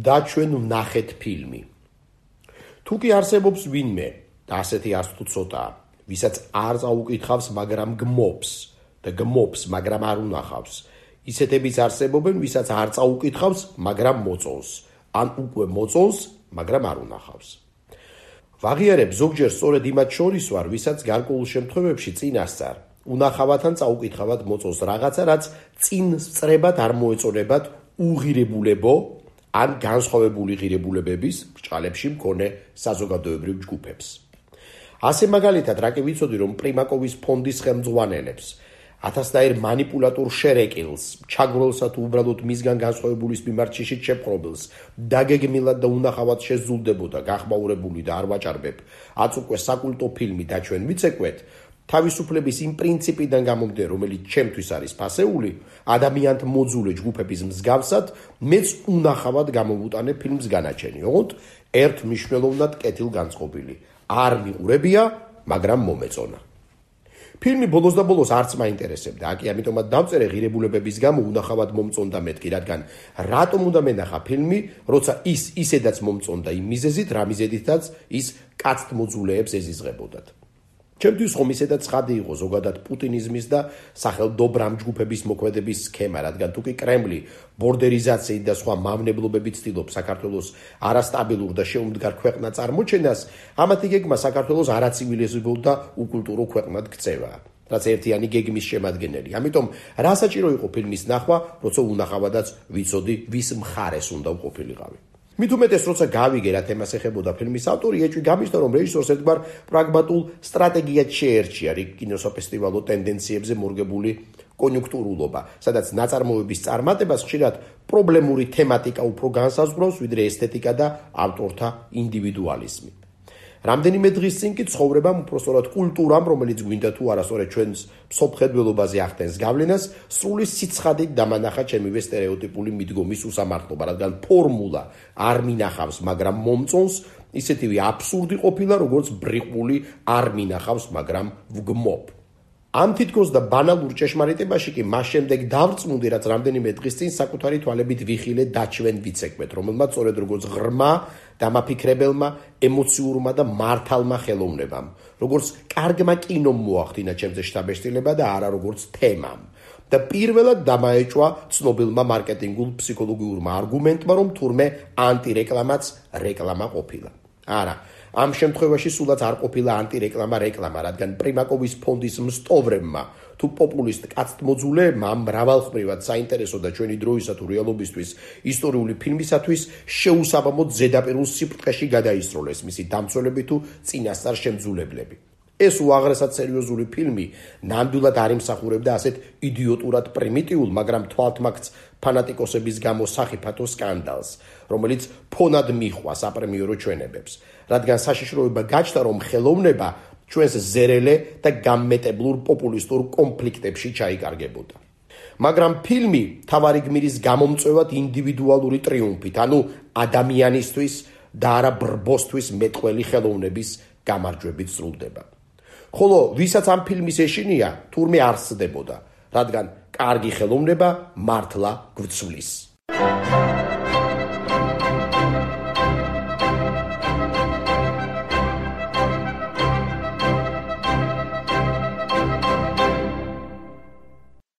და ჩვენ ვნახეთ ფილმი. თუ კი არსებობს ვინმე და ასეთი არც თუ ცოტაა, ვისაც არ წაუკითხავს, მაგრამ გმობს და გმობს, მაგრამ არ უნახავს. ისეთებიც არსებობენ, ვისაც არ წაუკითხავს, მაგრამ მოწონს, ან უკვე მოწონს, მაგრამ არ უნახავს. ვაღიარებ ზოგჯერ სწორედ იმათ შორის ვარ, ვისაც გარკვეულ შემთხვევებში წინასწარ უნახავად ან წაუკითხავად მოწონს რაღაცა, რაც წინ სწრებად არ მოეწონებათ უღირებულებო ან განსხვავებული ღირებულებების ბრჭყალებში მქონე საზოგადოებრივ ჯგუფებს. ასე მაგალითად, რა კი ვიცოდი, რომ პრიმაკოვის ფონდის ხელმძღვანელებს, ათასნაირ манипуляტორ შერეკილს, ჩაგროლსა თუ უბრალოდ მისგან განსხვავებულის მიმართ შიშით შეპყრობილს, დაგეგმილად და უნახავად შეზულდებოდა გახმაურებული და არ ვაჭარბებ, აც უკვე საკულტო ფილმი და ჩვენ ვიცეკვეთ, თავისუფლების იმ პრინციპიდან გამომდე, რომელიც ჩემთვის არის ფასეული, ადამიანთ მოძულე ჯგუფების მსგავსად, მეც უნახავად გამოვუტანე ფილმს განაჩენი, ოღონდ ერთ მნიშვნელოვნად კეთილგანწყობილი. არ მიყურებია, მაგრამ მომეწონა. ფილმი ბოლოს და ბოლოს არც მაინტერესებდა, აკი ამიტომაც დავწერე ღირებულებების გამო უნახავად მომწონდა მეთქი, რადგან რატომ უნდა მენახა ფილმი, როცა ის ისედაც მომწონდა იმ მიზეზით, რა მიზედითაც ის კაცთ მოძულეებს ეზიზღებოდათ. ჩემთვის ხომ ისედაც ცხადი იყო ზოგადად პუტინიზმის და სახელმდობრამ ჯგუფების მოქმედების სქემა, რადგან თუ კი კრემლი ბორდერიზაციით და სხვა მავნებლობებით ცდილობს საქართველოს არასტაბილურ და შეუმდგარ ქვეყნად წარმოჩენას, ამათი გეგმა საქართველოს არაცივილიზებულ და უკულტურო ქვეყნად ქცევა, რაც ერთიანი გეგმის შემადგენელი. ამიტომ რა საჭირო იყო ფილმის ნახვა, როცა უნახავადაც ვიცოდი, ვის მხარეს უნდა ვყოფილიყავი. მით უმეტეს, როცა გავიგე რა თემას ეხებოდა ფილმის ავტორი, ეჭვი გამიშთა, რომ რეჟისორს ერთგვარ პრაგმატულ სტრატეგიად შეერჩია რიგ კინოსაფესტივალო ტენდენციებზე მორგებული კონიუნქტურულობა, სადაც ნაწარმოების წარმატებას ხშირად პრობლემური თემატიკა უფრო განსაზღვრავს, ვიდრე ესთეტიკა და ავტორთა ინდივიდუალიზმი. რამდენიმე დღის წინ კი ცხოვრებამ, უпростоრად კულტურამ, რომელიც გვინდა თუ არა სწორედ ჩვენს მსოფლმხედველობაზე ახდენს გავლენას, სრული სიცხადით დამანახა ჩემივე სტერეოტიპული მიდგომის უსამართლობა, რადგან ფორმულა არ მინახავს, მაგრამ მომწონს, ისეთივე აბსურდი ყოფილა, როგორც ბრიყული არ მინახავს, მაგრამ ვგმობ. ამ თითქოს და ბანალურ ჭეშმარიტებაში კი მას შემდეგ დავწმუნდი, რაც რამდენიმე დღის წინ საკუთარი თვალებით ვიხილე დაჩვენ ვიცეკვეთ, რომელმაც სწორედ როგორც ღრმა დამაფიქრებელმა, ემოციურმა და მართალმა ხელოვნებამ, როგორც კარგმა კინომ მოახდინა ჩემზე შთაბეჭდილება და არა როგორც თემამ. და პირველად დამაეჭვა ცნობილმა მარკეტინგულ ფსიქოლოგიურმა არგუმენტმა, რომ თურმე ანტირეკლამაც რეკლამა ყოფილა. არა, ამ შემთხვევაში სულაც არ ყოფილა ანტირეკლამა რეკლამა, რადგან პრიმაკოვის ფონდის მსტოვრებმა თუ პოპულისტ კაცთ მოძულეებმა მრავალხმრივად საინტერესო და ჩვენი დროისა თუ რეალობისთვის ისტორიული ფილმისათვის შეუსაბამოდ ზედაპირულ სიფრთხეში გადაისროლეს მისი დამცველები თუ წინასწარ შემძულებლები. ეს უაღრესად სერიოზული ფილმი ნამდვილად არ იმსახურებდა ასეთ იდიოტურად პრიმიტიულ, მაგრამ თვალთმაქც ფანატიკოსების გამო სახიფათო სკანდალს, რომელიც ფონად მიჰყვა საპრემიერო ჩვენებებს, რადგან საშიშროება გაჩნდა, რომ ხელოვნება ჩვენს ზერელე და გამმეტებლურ პოპულისტურ კონფლიქტებში ჩაიკარგებოდა. მაგრამ ფილმი თავარი გმირის გამომწვევად ინდივიდუალური ტრიუმფით, ანუ ადამიანისთვის და არა ბრბოსთვის მეტყველი ხელოვნების გამარჯვებით სრულდება. ხოლო ვისაც ამ ფილმის ეშინია, თურმე არ სცდებოდა, რადგან კარგი ხელოვნება მართლა გვცვლის.